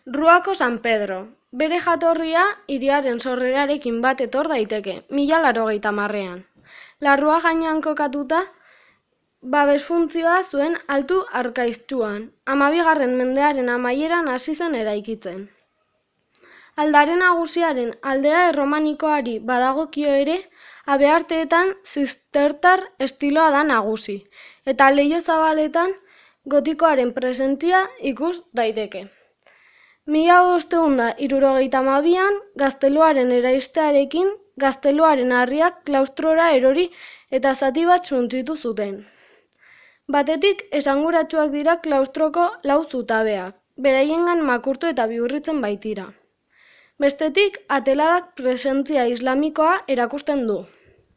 Ruako San Pedro. Bere jatorria hiriaren sorrerarekin bat etor daiteke, 1080ean. Larrua gainean kokatuta, babes funtzioa zuen Altu Arkaiztuan, 12. mendearen amaieran hasi zen eraikitzen. Aldare nagusiaren aldea erromanikoari badagokio ere, habearteetan zistertar estiloa da nagusi, eta leiho zabaletan gotikoaren presentzia ikus daiteke. 1572an gazteluaren eraistearekin, gazteluaren harriak klaustrora erori eta zati bat suntsitu zuten. Batetik esanguratsuak dira klaustroko 4 zutabeak, beraiengan makurtu eta bihurritzen baitira. Bestetik, ateladak presentzia islamikoa erakusten du.